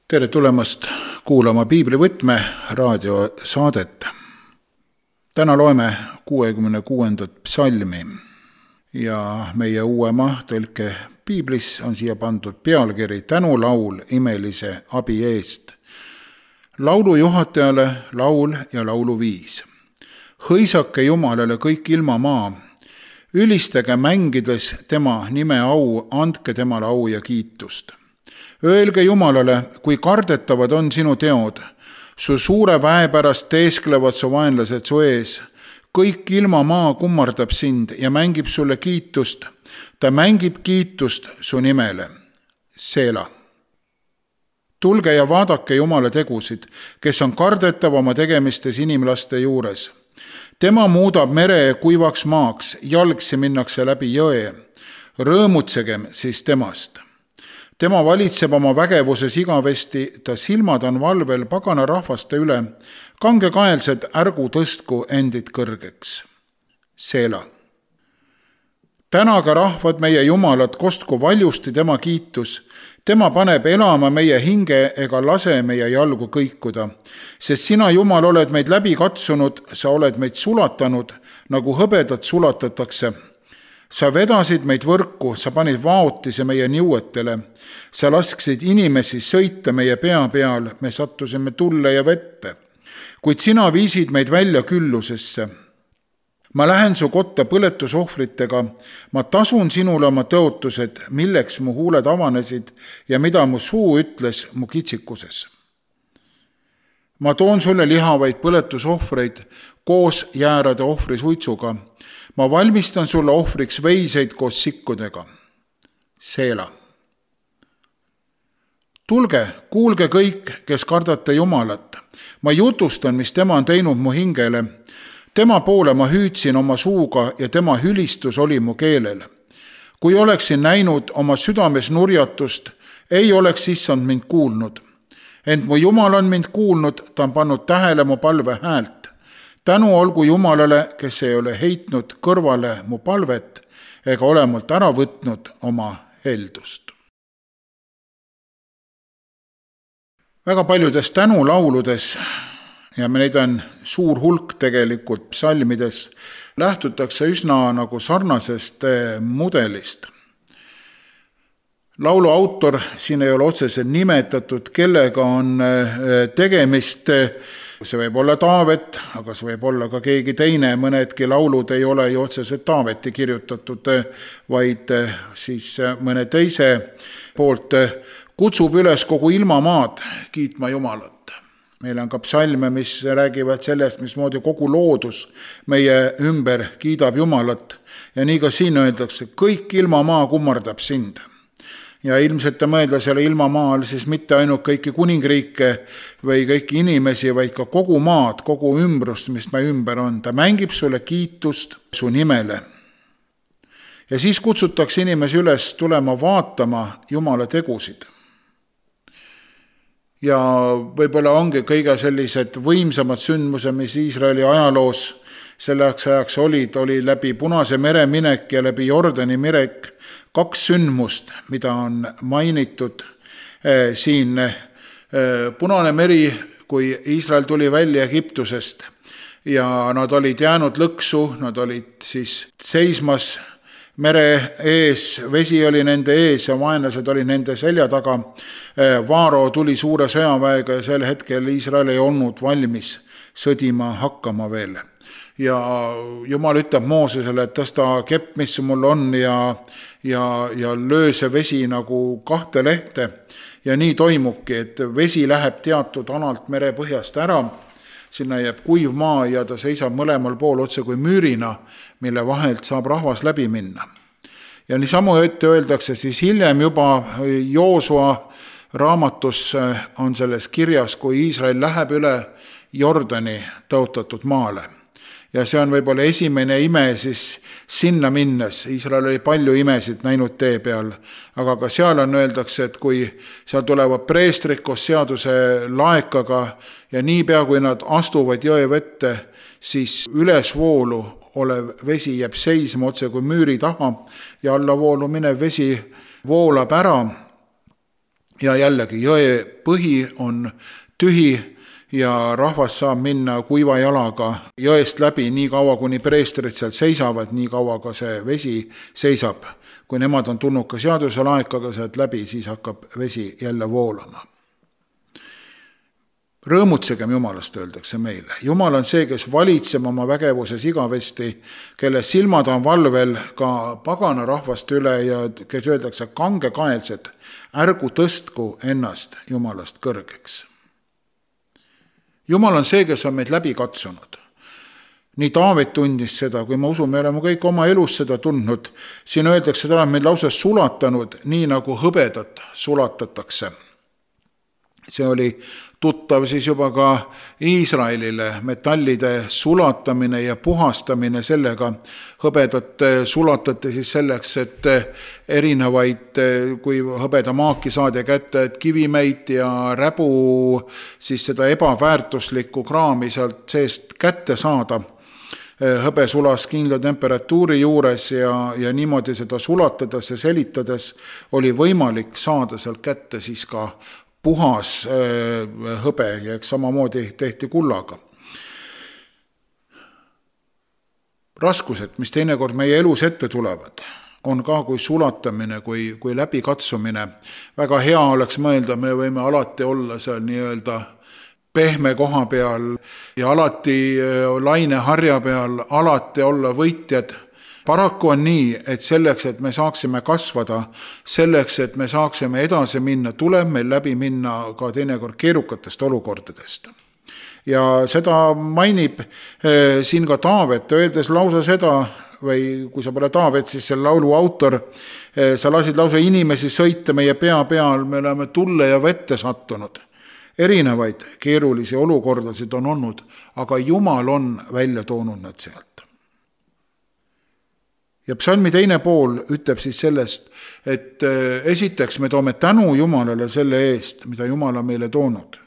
Tere tulemast kuulama Piiblivõtme raadiosaadet. Täna loeme 66. psalmi ja meie uuema tõlke Piiblis on siia pandud pealkiri Tänulaul imelise abi eest. Laulu juhatajale laul ja lauluviis. Hõisake Jumalale kõik ilmamaa, ülistage mängides tema nime au, andke temale au ja kiitust. Öelge Jumalale, kui kardetavad on sinu teod, su suure väe pärast teesklevad su vaenlased su ees. Kõik ilmamaa kummardab sind ja mängib sulle kiitust, ta mängib kiitust su nimele. Seela. Tulge ja vaadake Jumala tegusid, kes on kardetav oma tegemistes inimlaste juures. Tema muudab mere kuivaks maaks, jalgsi minnakse läbi jõe. Rõõmutsegem siis temast. Tema valitseb oma vägevuses igavesti, ta silmad on valvel pagana rahvaste üle, kangekaelsed ärgu tõstku endid kõrgeks. Seela. Tänaga rahvad meie Jumalat, kostku valjusti tema kiitus, tema paneb elama meie hinge ega lase meie jalgu kõikuda, sest sina, Jumal, oled meid läbi katsunud, sa oled meid sulatanud, nagu hõbedat sulatatakse. Sa vedasid meid võrku, sa panid vaotise meie niuetele, sa lasksid inimesi sõita meie pea peal, me sattusime tulle ja vette, kuid sina viisid meid välja küllusesse. Ma lähen su kotta põletusohvritega, ma tasun sinule oma tõotused, milleks mu huuled avanesid ja mida mu suu ütles mu kitsikuses. Ma toon sulle lihavaid põletusohvreid koos jäärade ohvri suitsuga. Ma valmistan sulle ohvriks veiseid koos sikkudega. Seela. Tulge, kuulge kõik, kes kardate Jumalat. Ma jutustan, mis tema on teinud mu hingele. Tema poole ma hüüdsin oma suuga ja tema hülistus oli mu keelel. Kui oleksin näinud oma südames nurjatust, ei oleks issand mind kuulnud. Ent mu Jumal on mind kuulnud, ta on pannud tähele mu palve häält. Tänu olgu Jumalale, kes ei ole heitnud kõrvale mu palvet ega ole mult ära võtnud oma heldust. Väga paljudes tänulauludes, ja neid on suur hulk tegelikult psalmides, lähtutakse üsna nagu sarnasest mudelist. Laulu autor, siin ei ole otseselt nimetatud, kellega on tegemist. See võib olla Taavet, aga see võib olla ka keegi teine. Mõnedki laulud ei ole ju otseselt Taaveti kirjutatud, vaid siis mõne teise poolt kutsub üles kogu ilmamaad kiitma Jumalat. Meil on ka psalme, mis räägivad sellest, mismoodi kogu loodus meie ümber kiidab Jumalat. Ja nii ka siin öeldakse, kõik ilmamaa kummardab sind. Ja ilmselt mõelda selle ilmamaal siis mitte ainult kõiki kuningriike või kõiki inimesi, vaid ka kogu maad, kogu ümbrust, mis me ümber on. Ta mängib sulle kiitust su nimele. Ja siis kutsutakse inimesi üles tulema vaatama Jumala tegusid. Ja võib-olla ongi kõige sellised võimsamad sündmused, mis Iisraeli ajaloos selleks ajaks oli läbi Punase mere minek ja läbi Jordani minek. 2 sündmust, mida on mainitud siin. Punane meri, kui Iisrael tuli välja Egiptusest ja nad olid jäänud lõksu, nad olid siis seismas mere ees, vesi oli nende ees ja vaenlased oli nende selja taga. Vaaro tuli suure sõjaväega ja sel hetkel Iisrael ei olnud valmis sõdima hakkama veel. Ja Jumal ütleb Moosesele, et tõsta kepp, mis mul on ja löö see vesi nagu 2 lehte. Ja nii toimubki, et vesi läheb teatud alalt mere põhjast ära. Sinna jääb kuiv maa ja ta seisab mõlemal pool otse kui müürina, mille vahelt saab rahvas läbi minna. Ja niisamu öeldakse siis hiljem juba Joosua raamatus on selles kirjas, kui Iisrael läheb üle Jordani tõotatud maale. Ja see on võib-olla esimene ime siis sinna minnes. Iisrael oli palju imesid näinud tee peal, aga ka seal on öeldakse, et kui seal tulevad preestrid koos seaduse laekaga ja niipea kui nad astuvad jõe vette, siis ülesvoolu olev vesi jääb seisma otse kui müüri taha ja allavoolu minev vesi voolab ära. ja jällegi jõe põhi on tühi ja rahvas saab minna kuiva jalaga jõest läbi nii kaua, kuni preestrid seal seisavad, nii kaua ka see vesi seisab. Kui nemad on tulnud ka seaduse laekaga sealt läbi, siis hakkab vesi jälle voolama. Rõõmutsegem Jumalast, öeldakse meile. Jumal on see, kes valitseb oma vägevuses igavesti, kelle silmad on valvel ka pagana rahvast üle ja kes öeldakse kangekaelsed, ärgu tõstku ennast Jumalast kõrgeks. Jumal on see, kes on meid läbi katsunud. Nii Taavet tundis seda, kui ma usun, me oleme kõik oma elus seda tundnud. Siin öeldakse, ta on meid lausa sulatanud, nii nagu hõbedat sulatatakse. See oli tuttav siis juba ka Iisraelile, metallide sulatamine ja puhastamine sellega. Hõbedat sulatati siis selleks, et erinevaid, kui hõbedamaaki saadi kätte, et kivimeid ja räbu, siis seda ebaväärtuslikku kraami sealt seest kätte saada. Hõbe sulas kindla temperatuuri juures ja niimoodi seda sulatades ja selitades oli võimalik saada sealt kätte siis ka puhas hõbe ja samamoodi tehti kullaga. Raskused, mis teinekord meie elus ette tulevad, on ka kui sulatamine, kui läbikatsumine. Väga hea oleks mõelda, me võime alati olla seal nii-öelda pehme koha peal ja alati laineharja peal, alati olla võitjad. Paraku on nii, et selleks, et me saaksime kasvada, selleks, et me saaksime edasi minna, tuleb meil läbi minna ka teinekord keerukatest olukordadest. Ja seda mainib siin ka Taavet, öeldes lausa seda, või kui sa pole Taavet, siis selle laulu autor, sa lasid lausa inimesi sõita meie pea peal, me oleme tulle ja vette sattunud. Erinevaid keerulisi olukordasid on olnud, aga Jumal on välja toonud nad sealt. Ja psalmi teine pool ütleb siis sellest, et esiteks me toome tänu Jumalale selle eest, mida Jumal on meile toonud.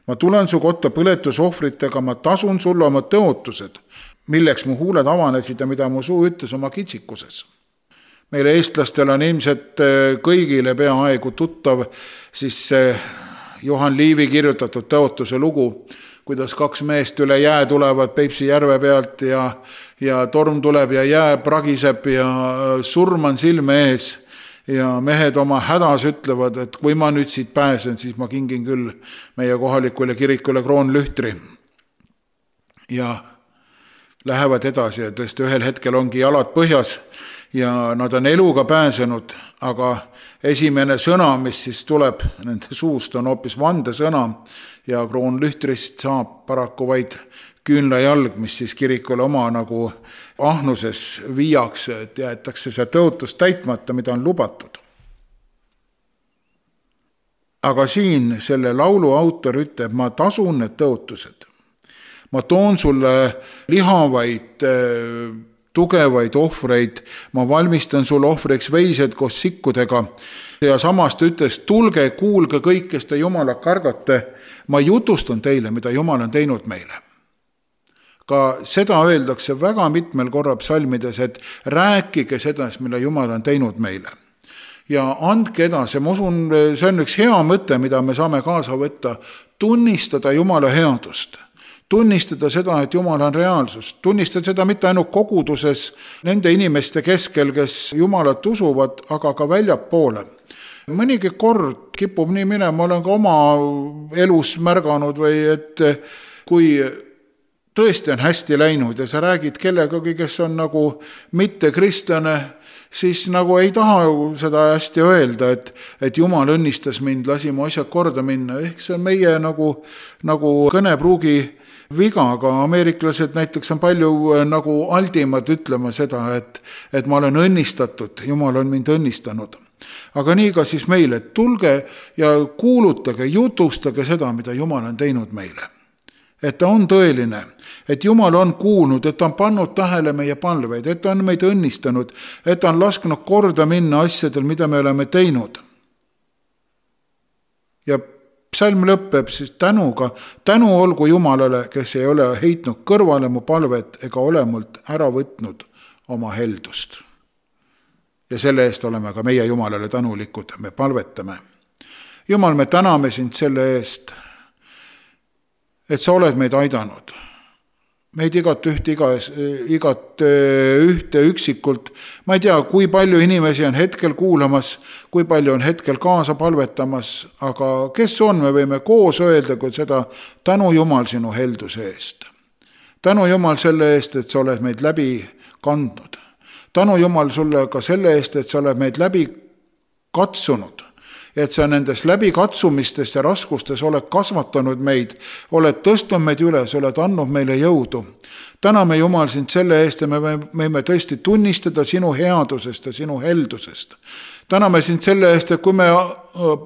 Ma tulen su kotta põletusohvritega, ma tasun sulle oma tõotused, milleks mu huuled avanesid ja mida mu suu ütles oma kitsikuses. Meile eestlastel on ilmselt kõigile peaaegu tuttav siis Johan Liivi kirjutatud tõotuse lugu, kuidas 2 meest üle jää tulevad Peipsi järve pealt ja torm tuleb ja jää pragiseb ja surm on silme ees ja mehed oma hädas ütlevad, et kui ma nüüd siit pääsen, siis ma kingin küll meie kohalikule kirikule kroonlühtri. Ja lähevad edasi ja tõesti ühel hetkel ongi jalad põhjas ja nad on eluga pääsenud, aga esimene sõna, mis siis tuleb nende suust, on hoopis vandesõna ja kroonlühtrist saab paraku vaid küünlajalg, mis siis kirikule oma nagu ahnuses viiakse, et jäetakse see tõotus täitmata, mida on lubatud. Aga siin selle laulu autor ütleb, ma tasun need tõotused. Ma toon sulle lihavaid, tugevaid ohvreid, ma valmistan sulle ohvriks veised koos sikkudega ja samast ütles, tulge, kuulge kõik, kes te Jumala kardate, ma jutustan teile, mida Jumal on teinud meile. Ka seda öeldakse väga mitmel korral psalmides, et rääkige seda, mille Jumal on teinud meile. Ja andke edasi, ma usun, see on üks hea mõte, mida me saame kaasa võtta, tunnistada Jumala headust. Tunnistada seda, et Jumal on reaalsus. Tunnistada seda mitte ainult koguduses nende inimeste keskel, kes Jumalat usuvad, aga ka väljapoole. Mõnigi kord kipub nii minema, olen ka oma elus märganud või et kui tõesti on hästi läinud ja sa räägid kellegagi, kes on nagu mitte kristlane, siis nagu ei taha seda hästi öelda, et Jumal õnnistas mind, lasi mu asjad korda minna. Ehk see on meie nagu kõnepruugi viga, aga ameeriklased näiteks on palju nagu aldimad ütlema seda, et ma olen õnnistatud, Jumal on mind õnnistanud. Aga nii ka siis meile, et tulge ja kuulutage, jutustage seda, mida Jumal on teinud meile. Et ta on tõeline, et Jumal on kuulnud, et ta on pannud tähele meie palveid, et ta on meid õnnistanud, et ta on lasknud korda minna asjadel, mida me oleme teinud. Ja psalm lõpeb siis tänuga, tänu olgu Jumalale, kes ei ole heitnud kõrvale mu palvet ega ole mult ära võtnud oma heldust. Ja selle eest oleme ka meie Jumalale tänulikud, me palvetame. Jumal, me täname sind selle eest, et sa oled meid aidanud. Meid igat ühte üksikult. Ma ei tea, kui palju inimesi on hetkel kuulamas, kui palju on hetkel kaasa palvetamas, aga kes on, me võime koos öelda, kui seda tänu Jumal sinu helduse eest. Tänu Jumal selle eest, et sa oled meid läbi kandnud. Tänu Jumal sulle ka selle eest, et sa oled meid läbi katsunud. Et sa nendes läbikatsumistes ja raskustes oled kasvatanud meid, oled tõstnud meid üles, oled andnud meile jõudu. Täname Jumal sind selle eest ja me võime tõesti tunnistada sinu headusest ja sinu heldusest. Täname sind selle eest, et kui me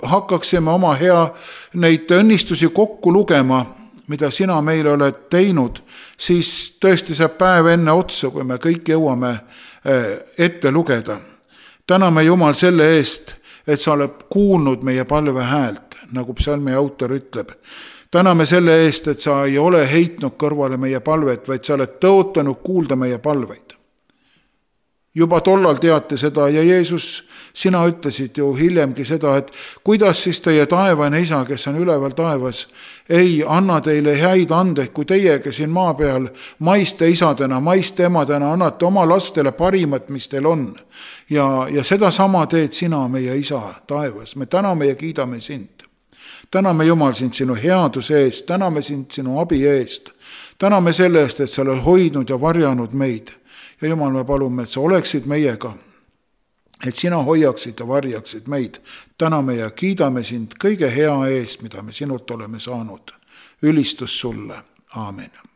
hakkaksime oma neid õnnistusi kokku lugema, mida sina meile oled teinud, siis tõesti see päev enne otsa, kui me kõik jõuame ette lugeda. Täname Jumal selle eest, et sa oled kuulnud meie palve häält, nagu psalmi autor ütleb. Täname selle eest, et sa ei ole heitnud kõrvale meie palvet, vaid sa oled tõotanud kuulda meie palveid. Juba tollal teate seda ja Jeesus, sina ütlesid ju hiljemgi seda, et kuidas siis teie taevane isa, kes on üleval taevas, ei anna teile häid andeid, kui teiegi siin maa peal maiste isadena, maiste emadena annate oma lastele parimat, mis teil on. Ja seda sama teed sina, meie isa taevas. Me täname ja kiidame sind. Täname Jumal sind sinu headuse eest, täname sind sinu abi eest. Täname selle eest, et sa oled hoidnud ja varjanud meid. Ja Jumal, me palume, et sa oleksid meiega, et sina hoiaksid ja varjaksid meid. Täname ja kiidame sind kõige hea eest, mida me sinult oleme saanud. Ülistus sulle. Aamen.